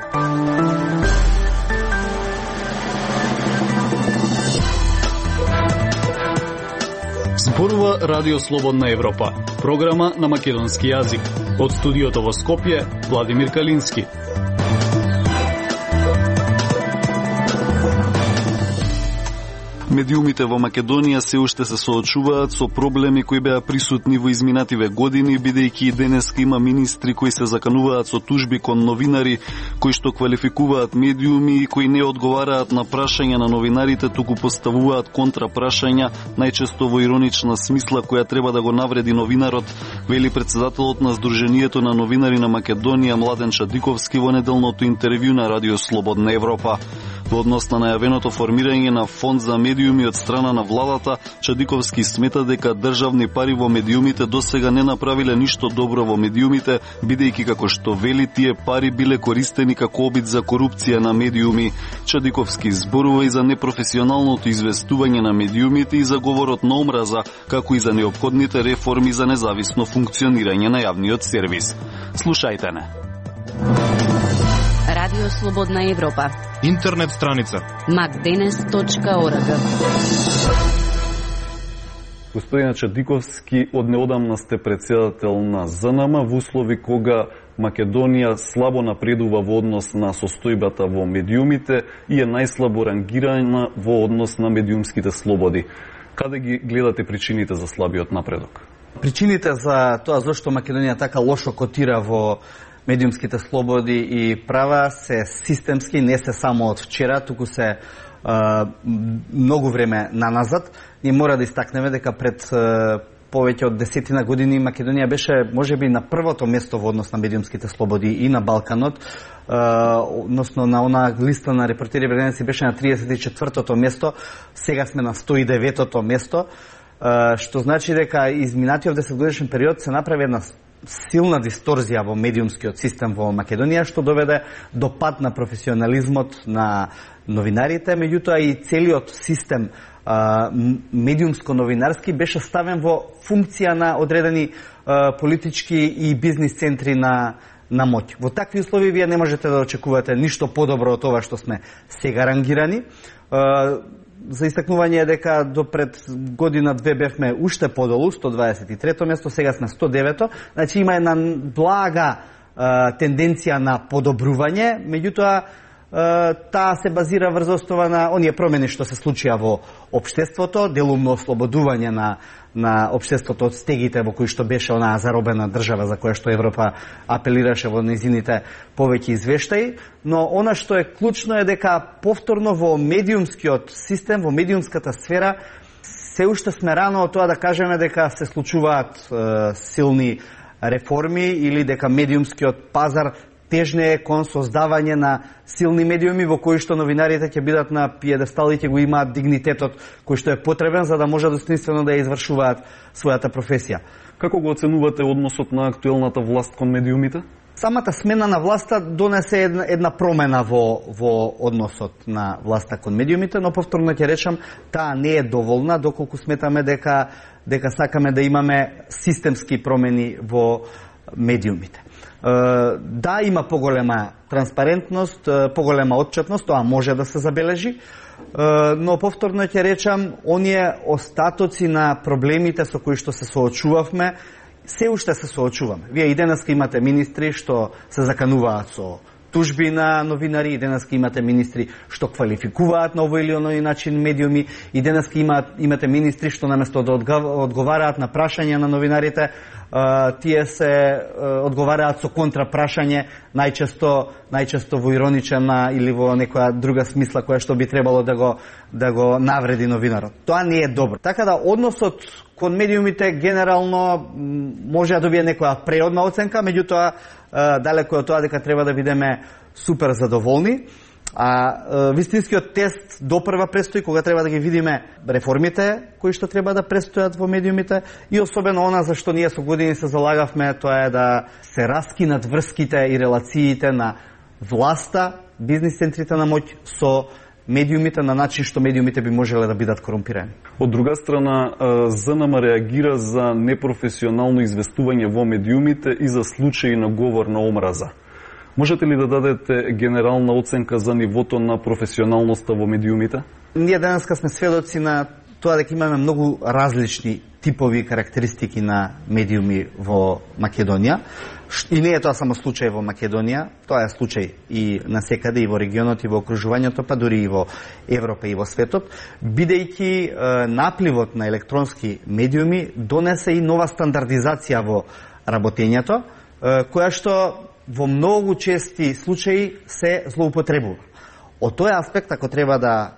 Зборува Радио Слободна Европа, програма на македонски јазик. Од студиото во Скопје, Владимир Калински. Медиумите во Македонија се уште се соочуваат со проблеми кои беа присутни во изминативе години, бидејќи и денеска има министри кои се закануваат со тужби кон новинари кои што квалификуваат медиуми и кои не одговараат на прашања на новинарите, туку поставуваат контрапрашања, најчесто во иронична смисла која треба да го навреди новинарот, вели претседателот на Сдруженијето на новинари на Македонија Младен Чадиковски во неделното интервју на Радио Слободна Европа. Во однос на најавеното формирање на фонд за медиуми од страна на владата, Чадиковски смета дека државни пари во медиумите досега не направиле ништо добро во медиумите, бидејќи како што вели тие пари биле користени како обид за корупција на медиуми. Чадиковски зборува и за непрофесионалното известување на медиумите и за говорот на омраза, како и за неопходните реформи за независно функционирање на јавниот сервис. Слушајте не. Радио Слободна Европа. Интернет страница macdenes.org. Господине Чадиковски, од неодамна сте претседател на ЗНМ во услови кога Македонија слабо напредува во однос на состојбата во медиумите и е најслабо рангирана во однос на медиумските слободи. Каде ги гледате причините за слабиот напредок? Причините за тоа зашто Македонија така лошо котира во медиумските слободи и права се системски, не се само од вчера, туку се многу време наназад. Ние мора да истакнеме дека пред повеќе од 10 години Македонија беше можеби на првото место во однос на медиумските слободи и на Балканот, односно на она листа на Репортери без граници беше на 34-тото место, сега сме на 109-тото место, што значи дека изминатиот 10-годишен период се направи една силна дисторзија во медиумскиот систем во Македонија, што доведе до пад на професионализмот на новинарите, меѓутоа и целиот систем медиумско-новинарски беше ставен во функција на одредени политички и бизнис центри на моќ. Во такви услови вие не можете да очекувате ништо подобро од ова што сме сега рангирани. За истакнување е дека до пред година-две бевме уште подолу, 123-то место, сега сме 109-то. Значи има една блага тенденција на подобрување, меѓутоа таа се базира врз основа на оние промени што се случија во општеството, делумно ослободување на општеството од стегите во кои што беше онаа заробена држава за која што Европа апелираше во незините повеќе извештаи, но она што е клучно е дека повторно во медиумскиот систем, во медиумската сфера, се уште сме рано од тоа да кажеме дека се случуваат силни реформи или дека медиумскиот пазар тежне е кон создавање на силни медиуми во кои што новинарите ќе бидат на пиедестал и ќе го имаат дигнитетот кој што е потребен за да може достоинствено да ја извршуваат својата професија. Како го оценувате односот на актуелната власт кон медиумите? Самата смена на власта донесе една промена во односот на власта кон медиумите, но повторно ќе речам, таа не е доволна доколку сметаме дека сакаме да имаме системски промени во медиумите. Да, има поголема транспарентност, поголема отчетност, тоа може да се забележи, но повторно ќе речам, оние остатоци на проблемите со кои што се соочувавме, се уште се соочуваме. Вие и денеска имате министри што се закануваат со тужби на новинари, и денеска имате министри што квалификуваат на овој или оној начин медиуми, и денеска имате министри што наместо да одговараат на прашања на новинарите, тие се одговараат со контрапрашање, најчесто во иронична или во некоја друга смисла која што би требало да го навреди новинарот. Тоа не е добро. Така да односот кон медиумите генерално може да добие некоја преодна оценка, меѓутоа далеко од тоа дека треба да бидеме супер задоволни. Вистинскиот тест допрва престои кога треба да ги видиме реформите кои што треба да престојат во медиумите и особено она за што ние со години се залагавме, тоа е да се раскинат врските и релациите на власта, бизнис центрите на моќ со медиумите на начин што медиумите би можеле да бидат корумпирани. Од друга страна, ЗНМ реагира за непрофесионално известување во медиумите и за случаи на говор на омраза. Можете ли да дадете генерална оценка за нивото на професионалноста во медиумите? Ние денеска сме сведоци на тоа дека имаме многу различни типови карактеристики на медиуми во Македонија. И не е тоа само случај во Македонија, тоа е случај и насекаде, и во регионот, и во окружувањето, па дури и во Европа и во светот, бидејќи напливот на електронски медиуми донесе и нова стандардизација во работењето, која што во многу чести случаи се злоупотребува. Од тој аспект, ако треба да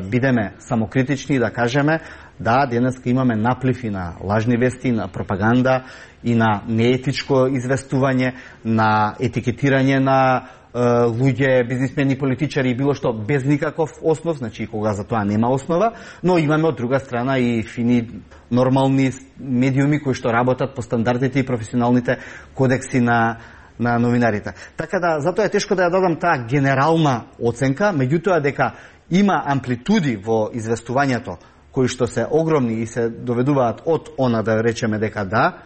бидеме самокритични и да кажеме, да, денеска имаме наплив и на лажни вести, на пропаганда и на неетичко известување, на етикетирање на луѓе, бизнисмени, политичари и било што без никаков основ, значи кога за тоа нема основа, но имаме од друга страна и фини нормални медиуми кои што работат по стандардите и професионалните кодекси на новинарите. Така да, затоа е тешко да ја дадам таа генерална оценка, меѓутоа дека има амплитуди во известувањето кои што се огромни и се доведуваат од она да речеме дека да,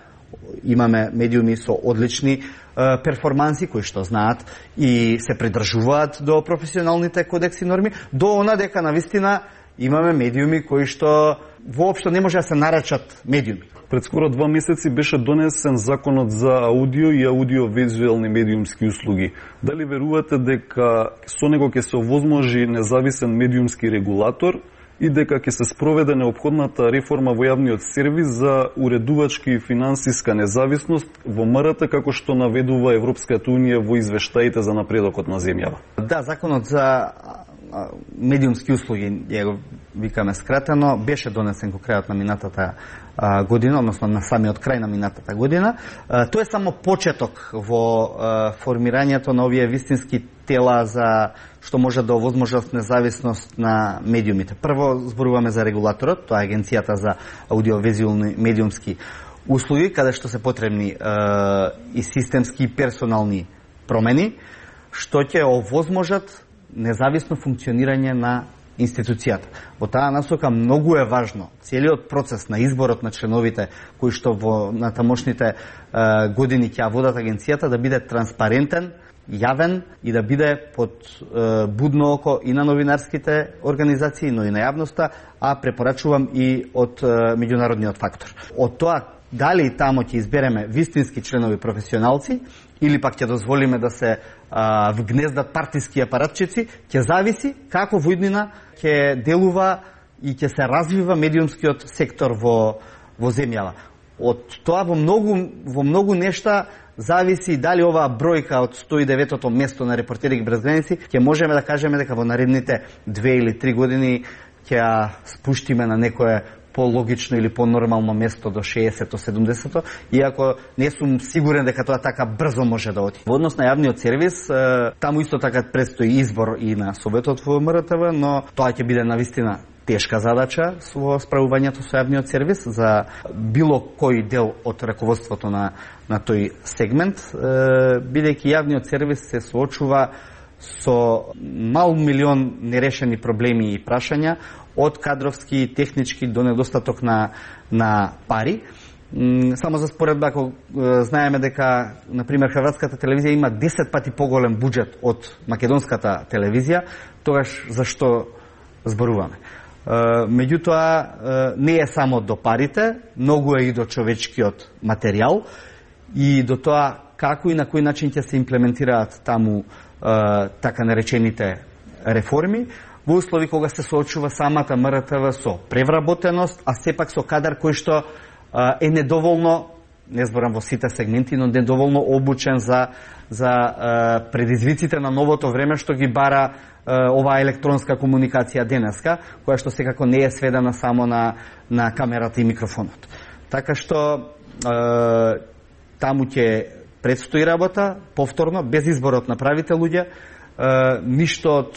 имаме медиуми со одлични перформанси кои што знаат и се придржуваат до професионалните кодекси норми, до она дека навистина имаме медиуми кои што воопшто не може да се наречат медиуми. Пред скоро 2 месеци беше донесен законот за аудио и аудиовизуелни медиумски услуги. Дали верувате дека со него ќе се овозможи независен медиумски регулатор и дека ќе се спроведе неопходната реформа во јавниот сервис за уредувачки и финансиска независност во МРТ, како што наведува Европската унија во извештаите за напредокот на земјава? Да, законот за медиумски услуги, ја го викаме скратено, беше донесен во крајот на минатата година, односно на самиот крај на минатата година. Тоа е само почеток во формирањето на овие вистински тела за што може да овозможат независност на медиумите. Прво зборуваме за регулаторот, тоа е Агенцијата за аудиовизуелни медиумски услуги, каде што се потребни и системски и персонални промени, што ќе овозможат независно функционирање на институцијата. Во таа насока многу е важно целиот процес на изборот на членовите кои што во натамошните години ќе водат агенцијата да биде транспарентен, јавен и да биде под будно око и на новинарските организации, но и на јавноста, а препорачувам и од меѓународниот фактор. Од тоа дали тамо ќе избереме вистински членови професионалци или пак ќе дозволиме да се вгнездат партиски апаратчици, ќе зависи како во иднина ќе делува и ќе се развива медиумскиот сектор во земјава. Од тоа во многу нешта зависи дали оваа бројка од 109-тото место на Репортери без граници ќе можеме да кажеме дека во наредните 2 или 3 години ќе ја спуштиме на некое по-логично или по-нормално место до 60-то, 70-то, иако не сум сигурен дека тоа така брзо може да оди. Во однос на јавниот сервис, таму исто така предстои избор и на Советот во МРТВ, но тоа ќе биде навистина тешка задача во справувањето со јавниот сервис за било кој дел од раководството на тој сегмент, бидејќи јавниот сервис се соочува со мал милион нерешени проблеми и прашања, од кадровски, технички до недостаток на пари. Само за споредба, ако знаеме дека, например, Хрватската телевизија има 10 пати поголем буџет од македонската телевизија, тогаш зашто зборуваме? Меѓутоа, не е само до парите, многу е и до човечкиот материјал и до тоа како и на кој начин ќе се имплементираат таму така наречените реформи, во услови кога се соочува самата МРТВ со превработеност, а сепак со кадар кој што е недоволно, не зборам во сите сегменти, но недоволно обучен за предизвиците на новото време што ги бара оваа електронска комуникација денеска, која што секако не е сведена само на камерата и микрофонот. Така што таму ќе предстои работа, повторно, без изборот на правите луѓе, ништо од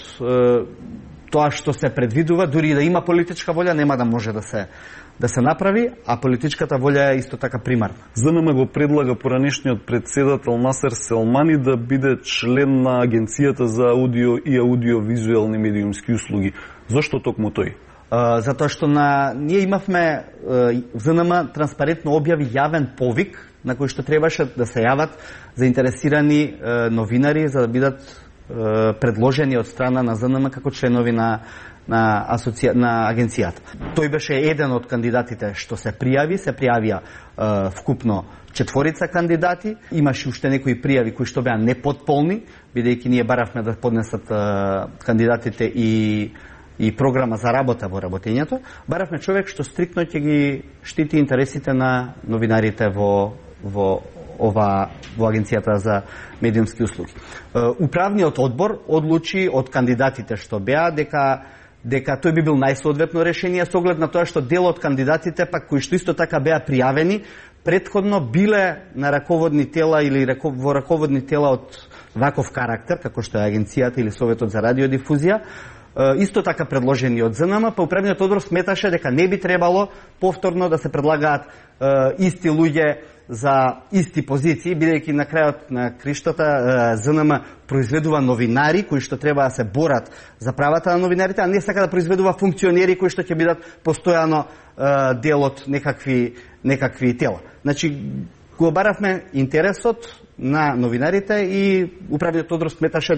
тоа што се предвидува, дури и да има политичка волја, нема да може да се направи, а политичката волја е исто така примарна. ЗНМ го предлага поранешниот председател Насер Селмани да биде член на Агенцијата за аудио и аудиовизуелни медиумски услуги. Зошто токму тој? затоа што ние имавме ЗНМ транспарентно објави јавен повик на кој што требаше да се јават заинтересирани новинари за да бидат предложени од страна на ЗНМ како членови на агенцијата. Тој беше еден од кандидатите што се пријавија вкупно 4 кандидати. Имаше уште некои пријави кои што беа непотполни, бидејќи ние баравме да поднесат кандидатите и програма за работа во работењето. Баравме човек што стриктно ќе ги штити интересите на новинарите во агенцијата за медиумски услуги. Управниот одбор одлучи од кандидатите што беа дека тој би бил најсоодветно решение со оглед на тоа што дел од кандидатите пак кои што исто така беа пријавени претходно биле на раководни тела или во раководни тела од ваков карактер како што е агенцијата или Советот за радиодифузија, исто така предложени од ЗНМ, па управниот одбор сметаше дека не би требало повторно да се предлагаат исти луѓе за исти позиции, бидејќи на крајот на криштата ЗНМ произведува новинари кои што треба да се борат за правата на новинарите, а не сака да произведува функционери кои што ќе бидат постојано дел од некакви тела. Значи, го баравме интересот на новинарите и управниот одбор сметаше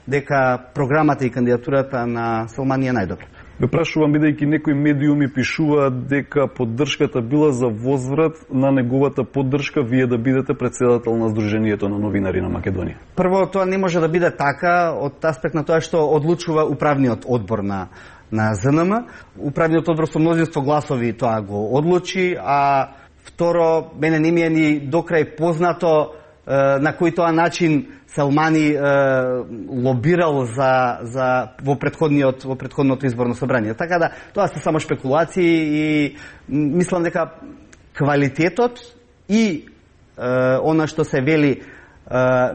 дека програмата и кандидатурата на Селмани е најдобра. Ве прашувам, бидејќи некои медиуми пишуваат дека поддршката била за возврат на неговата поддршка вие да бидете претседател на Сдруженијето на новинари на Македонија. Прво, тоа не може да биде така од аспект на тоа што одлучува управниот одбор на ЗНМ. Управниот одбор со мнозинство гласови тоа го одлучи, а второ, мене не ми е ни докрај познато на кој тоа начин Селмани лобирал во претходното изборно собрание. Така да, тоа се само шпекулации и мислам дека квалитетот и она што се вели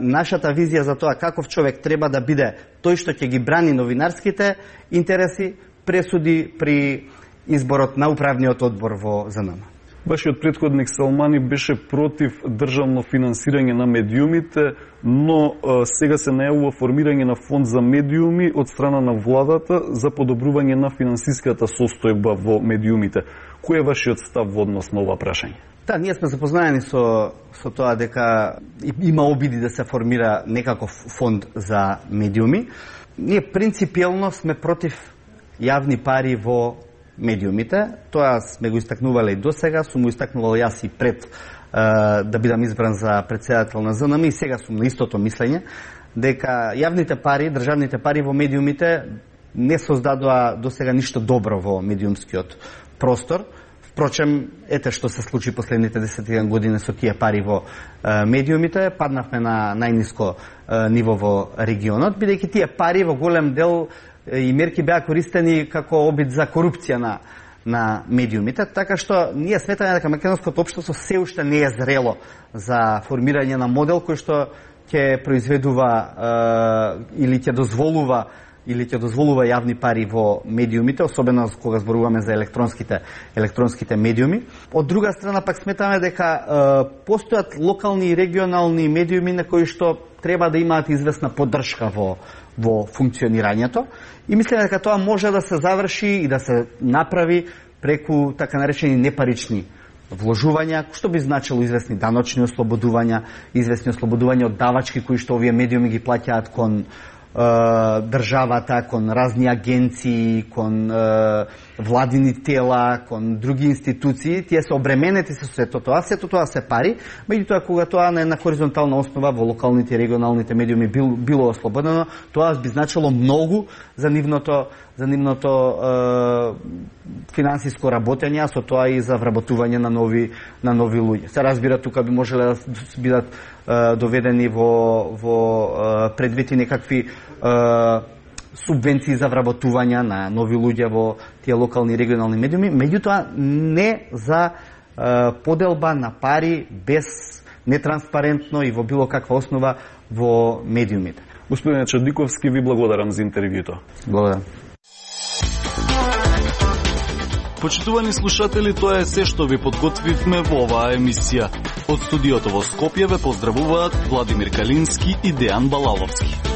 нашата визија за тоа каков човек треба да биде тој што ќе ги брани новинарските интереси пресуди при изборот на управниот одбор во ЗНМ. Вашиот претходник Селмани беше против државно финансирање на медиумите, но сега се најавува формирање на фонд за медиуми од страна на владата за подобрување на финансиската состојба во медиумите. Кој е вашиот став во однос на ова прашање? Да, ние сме запознаени со тоа дека има обиди да се формира некаков фонд за медиуми. Ние принципиелно сме против јавни пари во медиумите. Тоа сме го истакнувале и досега, сум го истакнувал јас и пред да бидам избран за претседател на ЗНМ и сега сум на истото мислење дека јавните пари, државните пари во медиумите не создадоа досега ништо добро во медиумскиот простор. Впрочем, ете што се случи последните 10 години со тие пари во медиумите, паднавме на најниско ниво во регионот, бидејќи тие пари во голем дел и мерки беа користени како обид за корупција на медиумите, така што ние сметаме дека македонското општество се уште не е зрело за формирање на модел кој што ќе произведува или ќе дозволува јавни пари во медиумите, особено кога зборуваме за електронските медиуми. Од друга страна пак сметаме дека постојат локални и регионални медиуми на кои што треба да имаат известна поддршка во функционирањето и мислам дека тоа може да се заврши и да се направи преку така наречени непарични вложувања, што би значило известни даночни ослободувања, известни ослободувања од давачки кои што овие медиуми ги плаќаат кон државата, кон разни агенции, кон владини тела, кон други институции, тие се обременети со сето тоа се пари, меѓутоа кога тоа на хоризонтална основа во локалните и регионалните медиуми било ослободено, тоа би значило многу за нивното финансиско работење, а со тоа и за вработување на нови луѓе. Се разбира, тука би можеле да бидат доведени во предвити некакви субвенции за вработување на нови луѓе во тие локални и регионални медиуми, меѓутоа не за поделба на пари без нетранспарентно и во било каква основа во медиумите. Господине Чадиковски, ви благодарам за интервјуто. Благодарам. Почитувани слушатели, тоа е се што ви подготвивме во оваа емисија. Од студиото во Скопје ве поздравуваат Владимир Калински и Дејан Балаловски.